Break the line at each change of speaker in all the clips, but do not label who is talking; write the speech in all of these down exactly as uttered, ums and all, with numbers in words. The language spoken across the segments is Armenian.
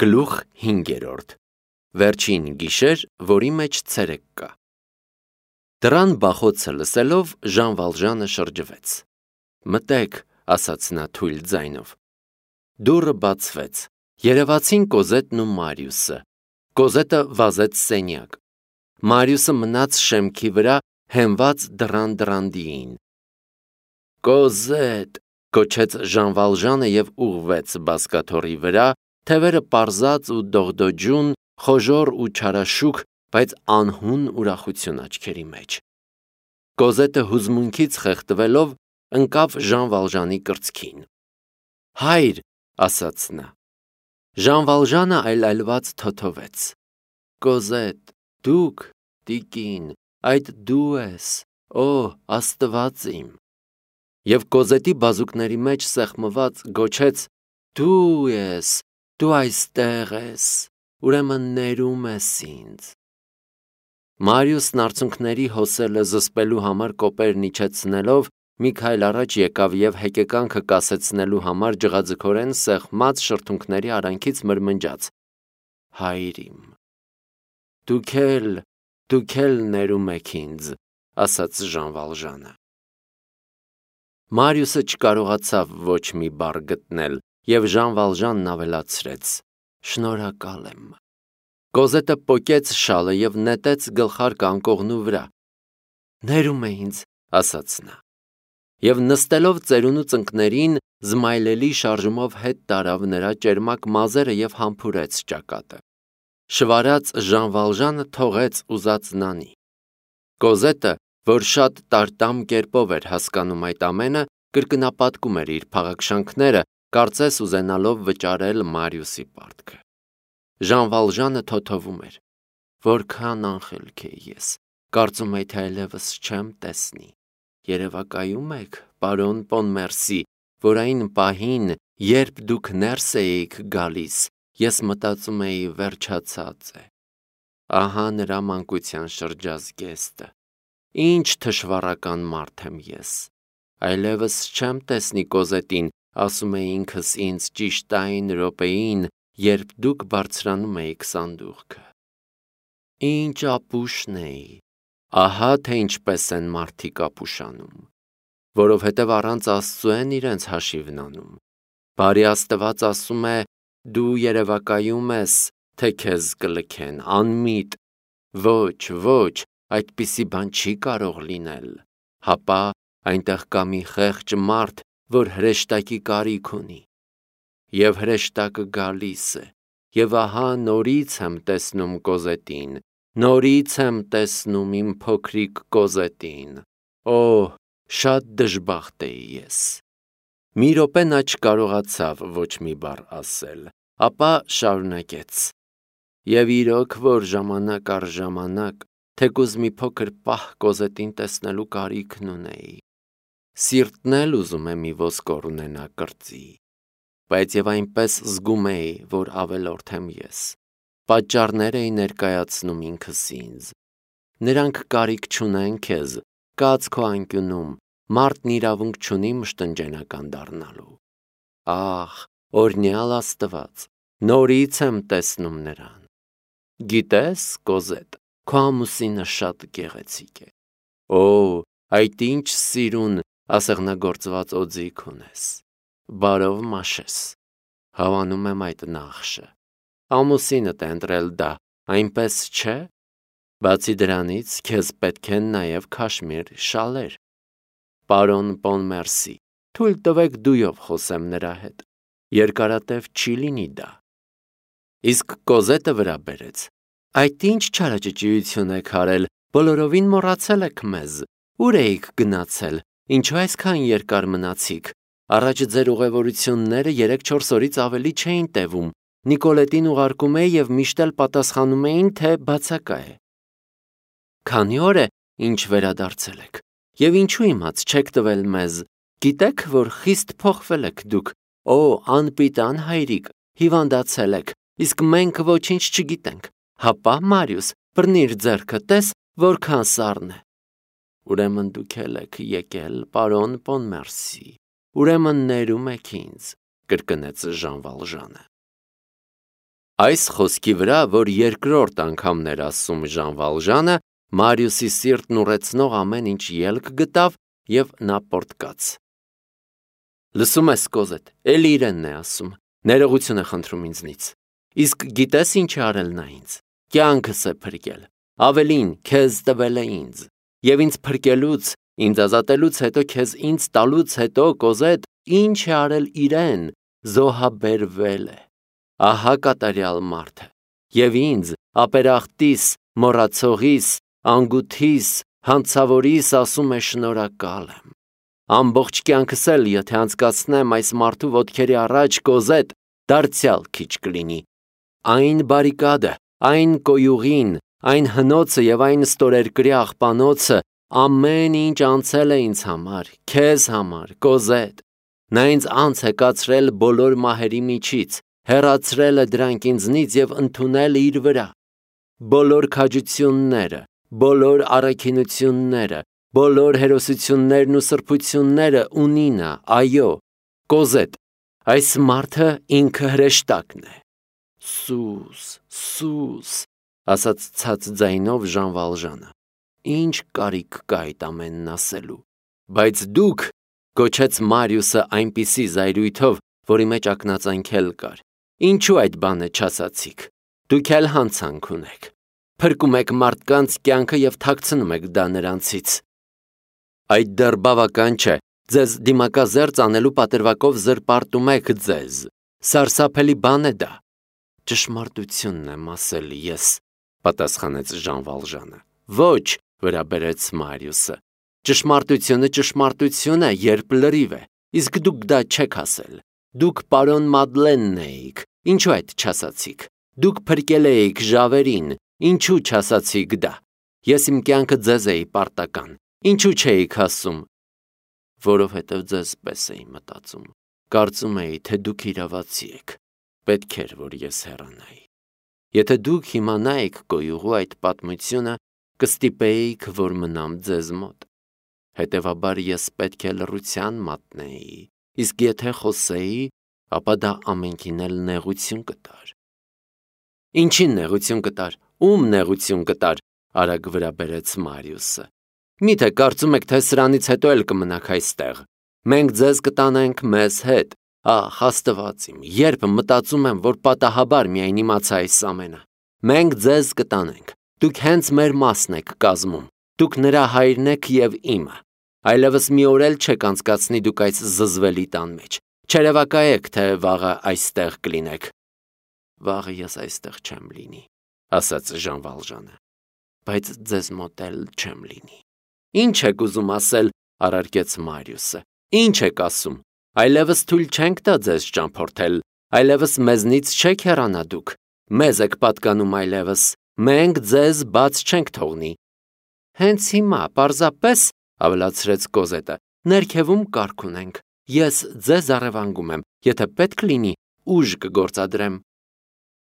Գլուխ հինգերորդ Վերջին գիշեր, որի մեջ ցերեկ կա։ Դռան բախոցը լսելով Ժան Վալժանը շրջվեց։ Մտեք, ասաց նա թույլ ձայնով։ Դուռը բացվեց։ Երևացին Կոզետն ու Մարիուսը։ Կոզետը վազեց սենյակ։ Մարիուսը մնաց շեմքի վրա, հենված դռան դռանդիին։ Կոզետ, կոչեց Ժան Վալժանը և ուղղվեց բազկաթոռի վրա, թևերը պարզած ու դողդոջուն, խոժոռ ու չարաշուք, բայց անհուն ուրախություն աչքերի մեջ։ Կոզետը հուզմունքից խեղդվելով ընկավ Ժան Վալժանի կրծքին։ Հայր, ասաց նա։ Ժան Վալժանը այլայլված թոթովեց։ Կոզետ, դուք, տիկին, այդ դու ես, օ, Աստված իմ։ Եվ Կոզետի բազուկների մեջ սեղմված գոչեց. Դու ես, դու այստեղ ես, ուրեմն ներում ես ինձ։ Մարիուսն արցունքների հոսելը զսպելու համար կոպերն իջեցնելով մի քայլ առաջ եկավ և հեկեկանքը կասեցնելու համար ջղաձգորեն սեղմած շրթունքների արանքից մրմնջաց. Հայր իմ։ Դուք էլ, դուք էլ ներում եք ինձ, ասաց Ժան Վալժանը։ Մարիուսը չկարողացավ ոչ մի բառ գտնել, և Ժան Վալժանն ավելացրեց. Շնորհակալ եմ։ Կոզետը պոկեց շալը և նետեց գլխարկը անկողնու վրա։ Ներում է ինձ, ասաց նա։ Եվ նստելով ծերունու ծնկներին, զմայլելի շարժումով հետ տարավ նրա ճերմակ մազերը և համբուրեց ճակատը։ Շվարած Ժան Վալժանը թողեց ուզած նանի։ Կոզետը, որ շատ տարտամ կերպով էր հասկանում այդ ամենը, կրկնապատկում էր իր փաղաքշանքները, կարծես ուզենալով վճարել Մարիուսի պարտքը։ Ժան Վալժանը թոթովում էր. Որքան անխելք էի ես, կարծում էի թե այլևս չեմ տեսնի։ Երևակայում եք, պարոն Պոնմերսի, որ այն պահին, երբ դուք ներս էիք գալիս, ես մտածում էի վերջացած է։ Ահա նրա մանկության շրջազգեստը։ Ինչ թշվառական մարդ եմ ես։ Այլևս չեմ տեսնի Կոզետին, ասում էի ինքս ինձ ճիշտ այն րոպեին, երբ դուք բարձրանում էիք սանդուղքը։ Ինչ ապուշն էի, ահա թե ինչպես են մարդիկ ապուշանում, որովհետև առանց Աստծու են իրենց հաշիվն անում։ Բարի Աստված ասում է, դու երևակայում ես, թե քեզ կլքեն, անմիտ, ոչ, ոչ, այդպիսի բան չի կարող լինել, հապա այնտեղ կա մի խեղճ մարդ, որ հրեշտակի կարիք ունի։ Եվ հրեշտակը գալիս է, և ահա նորից եմ տեսնում Կոզետին, նորից եմ տեսնում իմ փոքրիկ Կոզետին, օ, շատ դժբախտ էի ես։ Մի րոպե նա չկարողացավ ոչ մի բառ ասել, ապա շարունակեց. Եվ իրոք, որ ժամանակ առ ժամանակ, թեկուզ մի փոքր պահ Կոզետին տեսնելու կարիքն ունեի։ Սիրտն էլ ուզում է մի ոսկոր ունենա կրծի, բայց և այնպես զգում էի, որ ավելորդ եմ ես։ Պատճառներ էի ներկայացնում ինքս ինձ։ Նրանք կարիք չունեն քեզ, կաց քո անկյունում, մարդն իրավունք չունի մշտնջենական դառնալու։ Ահ, օրհնյալ Աստված, նորից եմ տեսնում նրան։ Գիտես, Կոզետ, քո ամուսինը շատ գեղեցիկ է։ Օ, այդ ինչ սիրուն, ասեղնագործված օձիք ունես։ Բարով մաշես։ Հավանում եմ այդ նախշը։ Ամուսինդ է ընտրել դա, այնպես չէ։ Բացի դրանից, քեզ պետք են նաև քաշմիր շալեր։ Պարոն Պոնմերսի, թույլ տվեք դույով խոսեմ նրա հետ։ Երկարատև չի լինի դա։ Իսկ Կոզետը վրա բերեց. Այդ ինչ չարաճճիություն եք արել, բոլորովին մոռացել եք մեզ։ Ուր էիք գնացել, ինչու այսքան երկար մնացիք։ Առաջ ձեր ուղևորությունները երեք-չորս օրից ավելի չէին տևում։ Նիկոլետին ուղարկում էի և միշտ էլ պատասխանում էին, թե բացակա է։ Քանի օր է, ինչ վերադարձել եք, և ինչու իմաց չեք տվել մեզ։ Գիտեք, որ խիստ փոխվել եք դուք։ Օ, անպիտան հայրիկ, հիվանդացել եք, իսկ մենք ոչինչ չգիտենք։ Հապա, Մարիուս, բռնիր ձեռքը, տես, որքան սառն է։ Ուրեմն դուք էլ եք եկել, պարոն Պոնմերսի, ուրեմն ներում եք ինձ, կրկնեց Ժան Վալժանը։ Այս խոսքի վրա, որ երկրորդ անգամն էր ասում Ժան Վալժանը, Մարիուսի սիրտն ուռեցնող ամեն ինչ ելք գտավ և նա պոռթկաց։ Լսում ես, Կոզետ, էլի իրենն է ասում, ներողություն է խնդրում ինձնից։ Իսկ գիտես ինչ է արել նա ինձ։ Կյանքս է փրկել, ավելին քեզ տվել է ինձ։ Եվ ինձ փրկելուց, ինձ ազատելուց հետո, քեզ ինձ տալուց հետո, Կոզետ, ինչ է արել իրեն, զոհաբերվել է։ Ահա կատարյալ մարդը։ Եվ ինձ, ապերախտիս, մոռացողիս, անգութիս, հանցավորիս ասում է շնորհակալ եմ։ Ամբողջ կյանքս էլ, եթե անցկացնեմ այս մարդու ոտքերի առաջ, Կոզետ, դարձյալ քիչ կլինի։ Այն բարիկադը, այն կոյուղին, այն հնոցը և այն ստորերկրյա աղբանոցը, ամեն ինչ անցել է ինձ համար, քեզ համար, Կոզետ։ Նա ինձ անց է կացրել բոլոր մահերի միջից, հեռացրել է դրանք ինձնից և ընդունել իր վրա։ Բոլոր քաջությունները, բոլոր առաքինությունները, բոլոր հերոսություններն ու սրբությունները ունի նա, այո, Կոզետ, այս մարդը ինքը հրեշտակն է։ Սուս, սուս, ասաց ցած ձայնով Ժան Վալժանը։ Ինչ կարիք կա այդ ամենն ասելու։ Բայց դուք, գոչեց Մարիուսը այնպիսի զայրույթով, որի մեջ ակնածանքել կար, ինչու այդ բանը չասացիք։ Դուք էլ հանցանք ունեք։ Փրկում եք մարդկանց կյանքը և թաքցնում եք դա նրանցից։ Այդ դեռ բավական չէ, ձեզ դիմակազերծ անելու պատրվակով զրպարտում եք ձեզ։ Սարսափելի բան է դա։ Ճշմարտությունն եմ ասել ես, պատասխանեց Ժան Վալժանը։ Ոչ, վրա բերեց Մարիուսը։ Ճշմարտությունը ճշմարտություն է, երբ լրիվ է, իսկ դուք դա չեք ասել։ Դուք պարոն Մադլենն էիք, ինչու այդ չասացիք։ Դուք փրկել էիք ժավերին, ինչու չասացիք դա։ Ես իմ կյանքը ձեզ էի պարտական, ինչու չէիք ասում։ Որովհետև ձեզ պես էի մտածում, կարծում էի, թե դուք իրավացի եք, պետք էր, որ ես հեռանայի։ Եթե դուք իմանայիք կոյուղու այդ պատմությունը, կստիպեիք, որ մնամ ձեզ մոտ։ Հետևաբար ես պետք է լռության մատնեի, իսկ եթե խոսեի, ապա դա ամենքին էլ նեղություն կտար։ Ինչին նեղություն կտար, ում նեղություն կտար, արագ վրա բերեց Մարիուսը։ Միթե կարծում եք, թե սրանից հետո էլ կմնաք այստեղ։ Մենք ձեզ կտանենք մեզ հետ։ Ահ, Աստված իմ, երբ մտածում եմ, որ պատահաբար միայն իմացա այս ամենը։ Մենք ձեզ կտանենք։ Դուք հենց մեր մասն եք կազմում։ Դուք նրա հայրն եք և իմը։ Այլևս մի օր էլ չեք անցկացնի դուք այս զզվելի տան մեջ։ Չերևակայեք, թե վաղը այստեղ կլինեք։ Վաղը ես այստեղ չեմ լինի, ասաց Ժան Վալժանը, բայց ձեզ մոտ էլ չեմ լինի։ Ինչ եք ուզում ասել, առարկեց Մարիուսը։ Ինչ եք ասում։ Այլևս թույլ չենք տա ձեզ ճամփորդել, այլևս մեզնից չեք հեռանա դուք։ Մեզ եք պատկանում այլևս, մենք ձեզ բաց չենք թողնի։ Հենց հիմա, պարզապես, ավելացրեց Կոզետը, ներքևում կարգ ունենք։ Ես ձեզ առևանգում եմ, եթե պետք լինի, ուժ կգործադրեմ։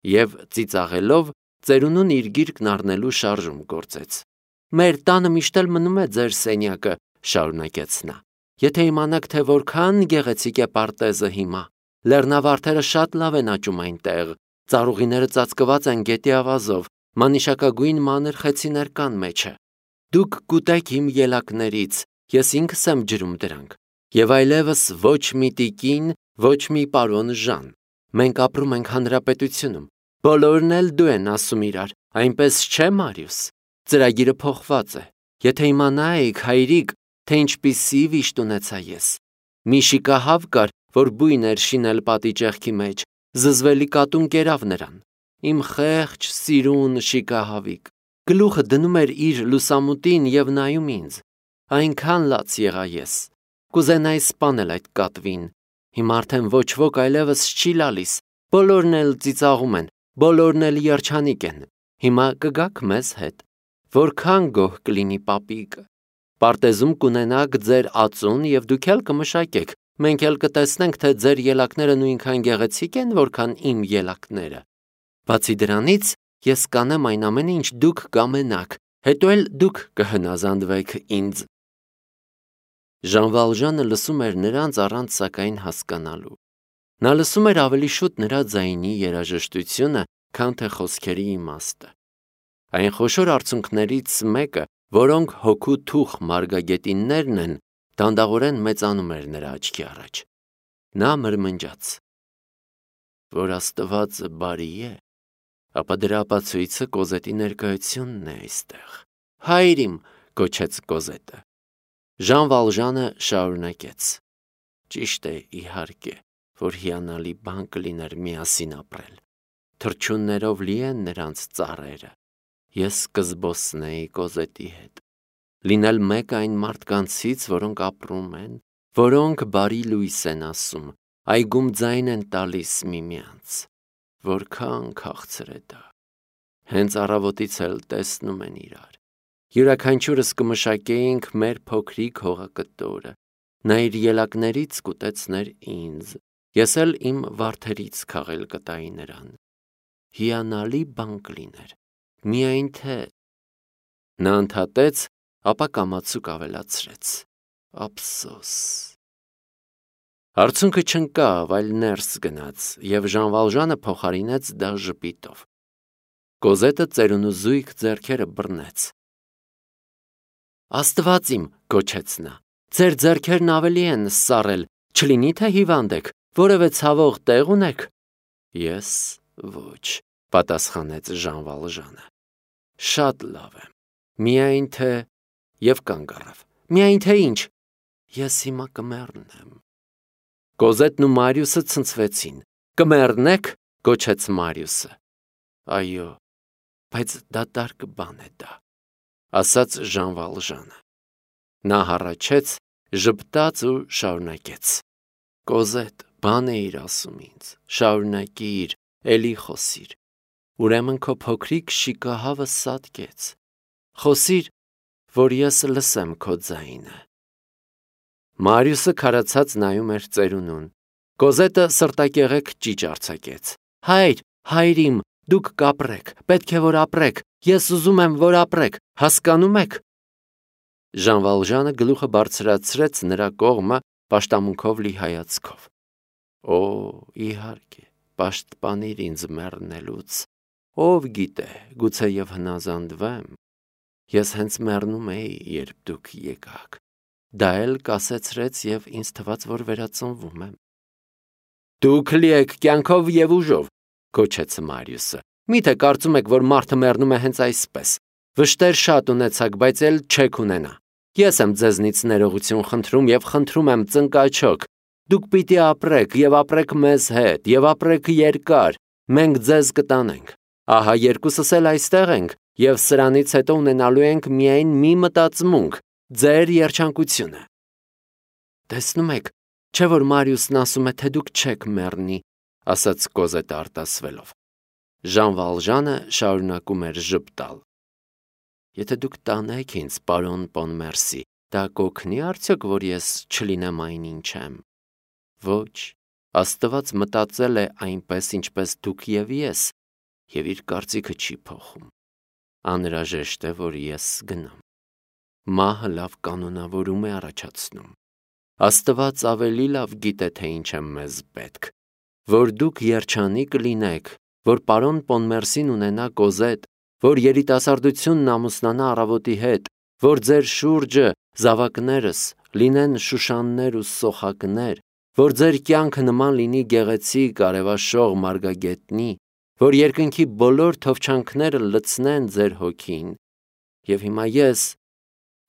Եվ ծիծաղելով, ծերունուն իր գիրկն առնելու շարժում գործեց։ Մեր տանը միշտ էլ մնում է ձեր սենյակը, շարունակեց նա։ Եթե իմանաք, թե որքան գեղեցիկ է պարտեզը հիմա, լեռնավարդերը շատ լավ են աճում այնտեղ, ծառուղիները ծածկված են գետի ավազով, մանիշակագույն մանր խեցիներ կան մեջը։ Դուք կուտեք իմ ելակներից, ես ինքս եմ ջրում դրանք։ Եվ այլևս ոչ մի տիկին, ոչ մի պարոն Ժան։ Մենք ապրում ենք հանրապետությունում։ Բոլորն էլ դու են ասում իրար, այնպես չէ, Մարիուս։ Ծրագիրը փոխված է։ Եթե իմանայիք, հայրիկ, թե ինչպիսի վիշտ ունեցա ես։ Մի շիկահավ կար, որ բույն էր շինել պատի ճեղքի մեջ, զզվելի կատուն կերավ նրան։ Իմ խեղճ, սիրուն շիկահավիկ։ Գլուխը դնում էր իր լուսամուտին և նայում ինձ։ Այնքան լաց եղա ես։ Կուզենայի սպանել այդ կատվին։ Հիմա արդեն ոչ ոք այլևս չի լալիս։ Բոլորն էլ ծիծաղում են, բոլորն էլ երջանիկ են։ Հիմա կգաք մեզ հետ։ Որքան գոհ կլինի պապիկը։ Պարտեզում կունենաք ձեր ածուն և դուք էլ կմշակեք։ Մենք էլ կտեսնենք, թե ձեր ելակները նույնքան գեղեցիկ են, որքան իմ ելակները։ Բացի դրանից, ես կանեմ այն ամենը, ինչ դուք կամենաք, հետո էլ դուք կհնազանդվեք ինձ։ Ժան Վալժանը լսում էր նրանց առանց սակայն հասկանալու։ Նա լսում էր ավելի շուտ նրա ձայնի երաժշտությունը քան թե խոսքերի իմաստը։ Այն խոշոր արցունքներից մեկը, որոնք հոգու թուխ մարգագետիններն են, դանդաղորեն մեծանում էր նրա աչքի առաջ։ Նա մրմնջաց. որ Աստվածը բարի է, ապա դրա ապացույցը Կոզետի ներկայությունն է այստեղ։ Հայր իմ, գոչեց Կոզետը։ Ժան Վալժանը շարունակեց. ճիշտ է, իհարկե, որ հիանալի բան կլիներ միասին ապրել։ Թռչուններով լի են նրանց ծառերը։ Ես կզբոսնեի Կոզետի հետ, լինել մեկ այն մարդկանցից, որոնք ապրում են, որոնք բարի լույս են ասում, այգում ձայն են տալիս միմյանց։ Որքան քաղցր է դա։ Հենց առավոտից էլ տեսնում են իրար։ Յուրաքանչյուրս կմշակեինք մեր փոքրիկ հողակտորը։ Նա իր ելակներից կուտեցներ ինձ, ես էլ իմ վարդերից քաղել կտայի նրան։ Հիանալի բան կլիներ, միայն թե… Նա ընդհատեց, ապա կամացուկ ավելացրեց. ափսոս։ Արցունքը չընկավ, այլ ներս գնաց, և Ժան Վալժանը փոխարինեց դա ժպիտով։ Կոզետը ծերունու զույգ ձեռքերը բռնեց։ Աստված իմ, գոչեց նա, ձեր ձեռքերն ավելի են սառել, չլինի թե հիվանդ եք, որևէ ցավող տեղ ունեք։ Ես ոչ, պատասխանեց Ժան Վալժանը։ Շատ լավ եմ, միայն թե… Եվ կանգ առավ։ Միայն թե ինչ։ Ես հիմա կմեռնեմ։ Կոզետն ու Մարիուսը ցնցվեցին։ Կմեռնեք, գոչեց Մարիուսը։ Այո, բայց դատարկ բան է դա, ասաց Ժան Վալժանը։ Նա հառաչեց, ժպտաց ու շարունակեց. Կոզետ, բան էիր ասում ինձ, շարունակիր, էլի խոսիր։ Ուրեմն քո փոքրիկ շիկահավը սատկեց։ Խոսիր, որ ես լսեմ քո ձայնը։ Մարիուսը քարացած նայում էր ծերունուն։ Կոզետը սրտակեղեք ճիճ արձակեց։ Հայր, հայր իմ, դուք կապրեք, պետք է որ ապրեք, ես ուզում եմ որ ապրեք, հասկանում եք։ Ժան Վալժանը գլուխը բարձրացրեց նրա կողմը պաշտամունքով լի հայացքով։ Օ, իհարկե, պաշտպանիր ինձ մեռնելուց, ով գիտե, գուցե և հնազանդվեմ։ Ես հենց մեռնում էի, երբ դուք եկաք։ Դա էլ կասեցրեց և ինձ թվաց, որ վերածնվում եմ։ Դուք լի եք կյանքով և ուժով, գոչեց Մարիուսը։ Միթե կարծում եք, որ մարդը մեռնում է հենց այսպես։ Վշտեր շատ ունեցաք, բայց էլ չեք ունենա։ Ես եմ ձեզնից ներողություն խնդրում և խնդրում եմ ծնկաչոք։ Դուք պիտի ապրեք և ապրեք մեզ հետ և ապրեք երկար, մենք ձեզ կտանենք։ Ահա երկուսս էլ այստեղ ենք և սրանից հետո ունենալու ենք միայն մի մտածմունք, ձեր երջանկությունը։ Տեսնում եք, չէ՞ որ Մարիուսն ասում է, թե դուք չեք մեռնի, ասաց Կոզետը արտասվելով։ Ժան Վալժանը շարունակում էր ժպտալ։ Եթե դուք տանեք ինձ, պարոն Պոնմերսի, դա կօգնի արդյոք, որ ես չլինեմ այնինչ եմ։ Ոչ, Աստված մտածել է այնպես, ինչպես դուք և ես, և իր կարծիքը չի փոխում։ Անհրաժեշտ է, որ ես գնամ։ Մահը լավ կանոնավորում է առաջացնում։ Աստված ավելի լավ գիտե, թե ինչ է մեզ պետք։ Որ դուք երջանիկ լինեք, որ պարոն Պոնմերսին ունենա Կոզետ, որ երիտասարդությունն ամուսնանա առավոտի հետ, որ ձեր շուրջը զավակներս լինեն շուշաններ ու սոխակներ, որ ձեր կյանքը նման լինի գեղեցիկ արևաշող մարգագետնի, որ երկնքի բոլոր թովչանքները լցնեն ձեր հոգին։ Եվ հիմա ես,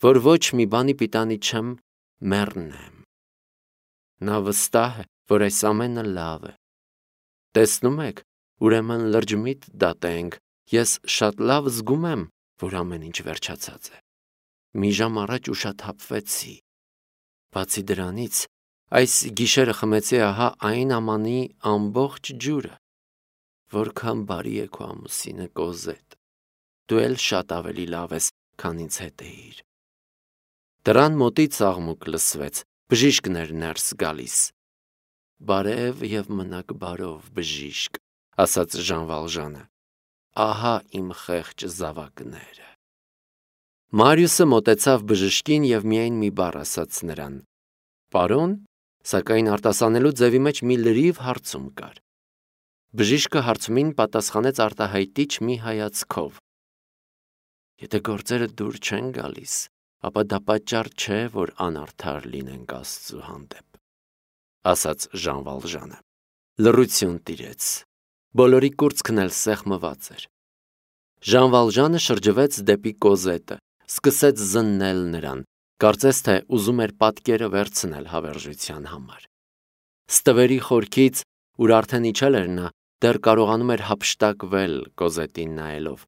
որ ոչ մի բանի պիտանի չեմ, մեռնեմ։ Նա վստահ է, որ այս ամենը լավ է։ Տեսնում եք, ուրեմն լրջմիտ դատենք, ես շատ լավ զգում եմ, որ ամեն ինչ վերջացած է։ Մի ժամ առաջ ուշաթափվեցի։ Բացի դրանից, այս գիշերը խմեցի ահա այն ամանի ամբողջ ջուրը։ Որքան բարի է քո ամուսինը, Կոզետ։ Դու էլ շատ ավելի լավ ես, քան ինձ հետ էիր։ Դռան մոտից աղմուկ լսվեց, բժիշկն էր ներս գալիս։ Բարև և մնաք բարով, բժիշկ, ասաց Ժան Վալժանը։ Ահա իմ խեղճ զավակները։ Մարիուսը մոտեցավ բժշկին և միայն մի բառ ասաց նրան։ Պարոն, սակայն արտասանելու ձևի մեջ մի լրիվ հարցում կար։ Բժիշկը հարցումին պատասխանեց արտահայտիչ մի հայացքով. Եթե գործերը դուր չեն գալիս, ապա դա պատճառ չէ, որ անարդար լինենք Աստծու հանդեպ, ասաց Ժան Վալժանը։ Լռություն տիրեց։ Բոլորի կուրծքն էլ սեղմված էր։ Ժան Վալժանը շրջվեց դեպի Կոզետը, սկսեց զննել նրան, կարծես թե ուզում էր պատկերը վերցնել հավերժության համար։ Ստվերի խորքից, ուր արդեն իջել էր նա, դեռ կարողանում էր հափշտակվել Կոզետին նայելով։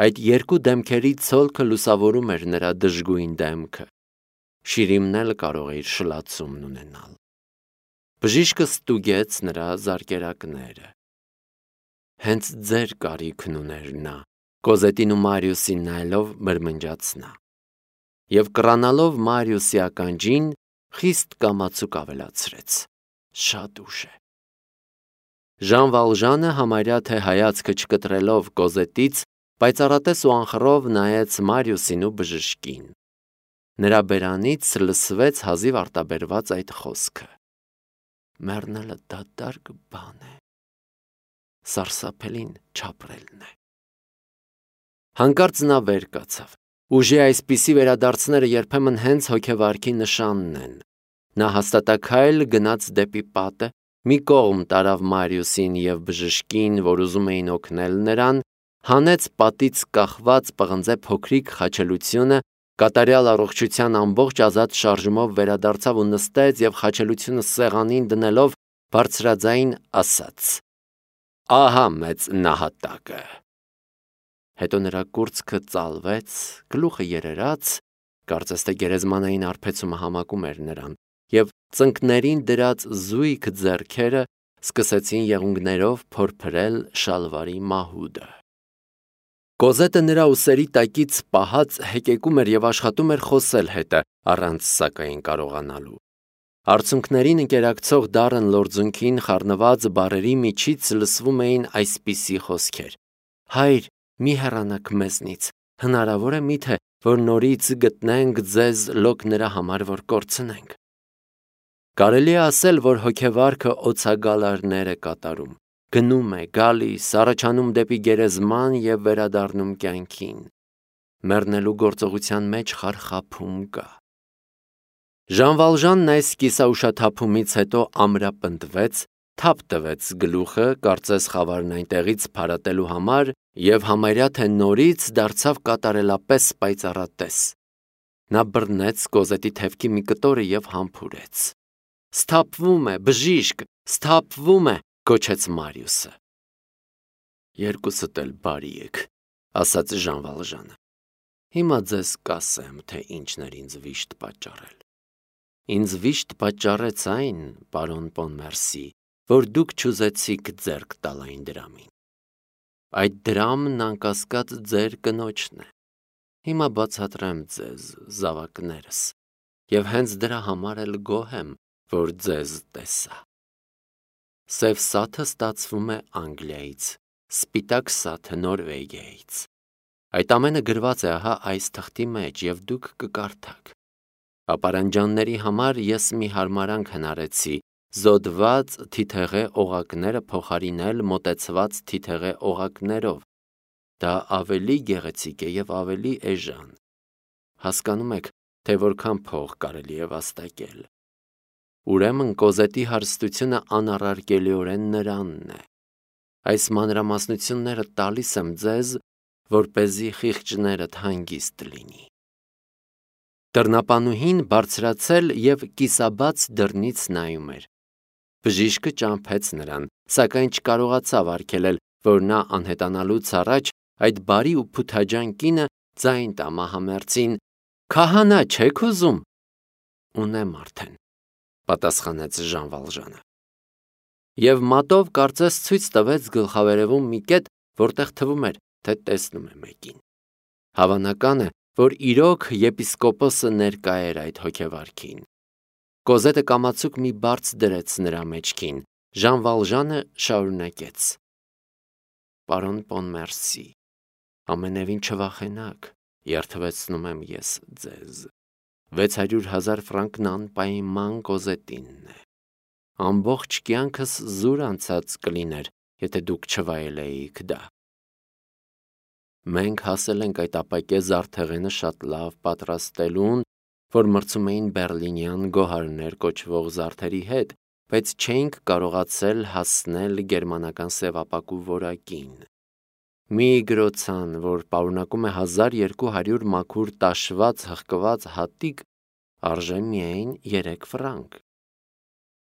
Այդ երկու դեմքերի ցոլքը լուսավորում էր նրա դժգույն դեմքը։ Շիրիմն էլ կարող է իր շլացումն ունենալ։ Բժիշկը ստուգեց նրա զարկերակները։ Հենց ձեր կարիքն ուներ նա, Կոզետին ու Մարիուսին նայելով բրմնջաց նա։ Եվ կռանալով Մարիուսի ականջին, խիստ կամացուկ ավելացրեց. Շատ ուշ է։ Ժան Վալժանը համարյա թե հայացքը չկտրելով Կոզետից, պայծառատես ու անխռով նայեց Մարիուսին ու բժշկին։ Նրա բերանից լսվեց հազիվ արտաբերված այդ խոսքը. Մեռնելը դատարկ բան է, սարսափելին չապրելն է։ Հանկարծ նա վեր կացավ։ Ուժի այսպիսի վերադարձները երբեմն հենց հոգեվարքի նշանն են։ Նա հաստատակայլ գնաց դեպի պատը, մի կողմ տարավ Մարիուսին և բժշկին, որ ուզում էին օգնել նրան, հանեց պատից կախված պղնձե փոքրիկ խաչելությունը, կատարյալ առողջության ամբողջ ազատ շարժումով վերադարձավ ու նստեց և խաչելությունը սեղանին դնելով բարձրաձայն ասաց. Ահա մեծ նահատակը։ Հետո նրա կուրծքը ծալվեց, գլուխը երերաց, կարծես թե գերեզմանային արբեցումը համակում էր նրան, և ծնկներին դրած զույգ ձեռքերը սկսեցին եղունգներով փորփրել շալվարի մահուդը։ Կոզետը նրա ուսերի տակից պահած հեկեկում էր և աշխատում էր խոսել հետը, առանց սակայն կարողանալու։ Արցունքներին ընկերակցող դառն լորձունքին խառնված բառերի միջից լսվում էին այսպիսի խոսքեր. Հայր, մի հեռանաք մեզնից, հնարավոր է միթե, որ նորից գտնենք ձեզ լոկ նրա համար, որ կորցնենք։ Կարելի է ասել, որ հոգեվարքը օձագալարներ է կատարում, գնում է, գալիս, առաջանում դեպի գերեզման և վերադառնում կյանքին։ Մեռնելու գործողության մեջ խարխափում կա։ Ժան Վալժանն այս կիսաուշաթափումից հետո ամրապնդվեց, թափ տվեց գլուխը, կարծես խավարն այնտեղից փարատելու համար, և համարյա թե նորից դարձավ կատարելապես պայծառատես։ Նա բռնեց Կոզետի թևքի մի կտորը և համբուրեց։ Սթափվում է, բժիշկ, սթափվում է, գոչեց Մարիուսը։ Երկուսդ էլ բարի եք, ասաց Ժան Վալժանը։ Հիմա ձեզ կասեմ, թե ինչն էր ինձ վիշտ պատճառել։ Ինձ վիշտ պատճառեց այն, պարոն Պոնմերսի, որ դուք չուզեցիք ձեռք տալ այն դրամին։ Այդ դրամն անկասկած ձեր կնոջն է։ Հիմա բացատրեմ ձեզ զավակներս, և հենց դրա համար էլ գոհ եմ, որ ձեզ տեսա։ Սև սաթը ստացվում է Անգլիայից, սպիտակ սաթը Նորվեգիայից։ Այդ ամենը գրված է ահա այս թղթի մեջ, և դուք կկարդաք։ Ապարանջանների համար ես մի հարմարանք հնարեցի, զոդված թիթեղե օղակները փոխարինել մոտեցված թիթեղե օղակներով։ Դա ավելի գեղեցիկ է և ավելի էժան։ Հասկանում եք, թե որքան փող կարելի է վաստակել։ Ուրեմն Կոզետի հարստությունը անառարկելիորեն նրանն է։ Այս մանրամասնությունները տալիս եմ ձեզ, որպեսզի խիղճներդ հանգիստ լինի։ Դռնապանուհին բարձրացել և կիսաբաց դռնից նայում էր։ Բժիշկը ճամփեց նրան, սակայն չկարողացավ արգելել, որ նա անհետանալուց առաջ այդ բարի ու փութաջան կինը ձայն տա մահամերձին. Քահանա չեք ուզում։ Ունեմ արդեն, պատասխանեց Ժան Վալժանը։ Եվ մատով կարծես ցույց տվեց գլխավերևում մի կետ, որտեղ թվում էր, թե տեսնում է մեկին։ Հավանական է, որ իրոք եպիսկոպոսը ներկա էր այդ հոգեվարքին։ Կոզետը կամացուկ մի բարձ դրեց նրա մեջքին։ Ժան Վալժանը շարունակեց. Պարոն Պոնմերսի, ամենևին չվախենաք, երդվեցնում եմ ես ձեզ։ վեց հարյուր հազար ֆրանկն անպայման Կոզետինն է։ Ամբողջ կյանքս զուր անցած կլիներ, եթե դուք չվայելեիք դա։ Մենք հասել ենք այդ ապակե զարդեղենը շատ լավ պատրաստելուն, որ մրցում էին բերլինյան գոհարներ կոչվող զարդերի հետ, բայց չէինք կարողացել հասնել գերմանական սևապակու որակին։ Մի գրոցան, որ պարունակում է հազար երկու հարյուր մաքուր տաշված հղկված հատիկ, արժե միայն երեք ֆրանկ։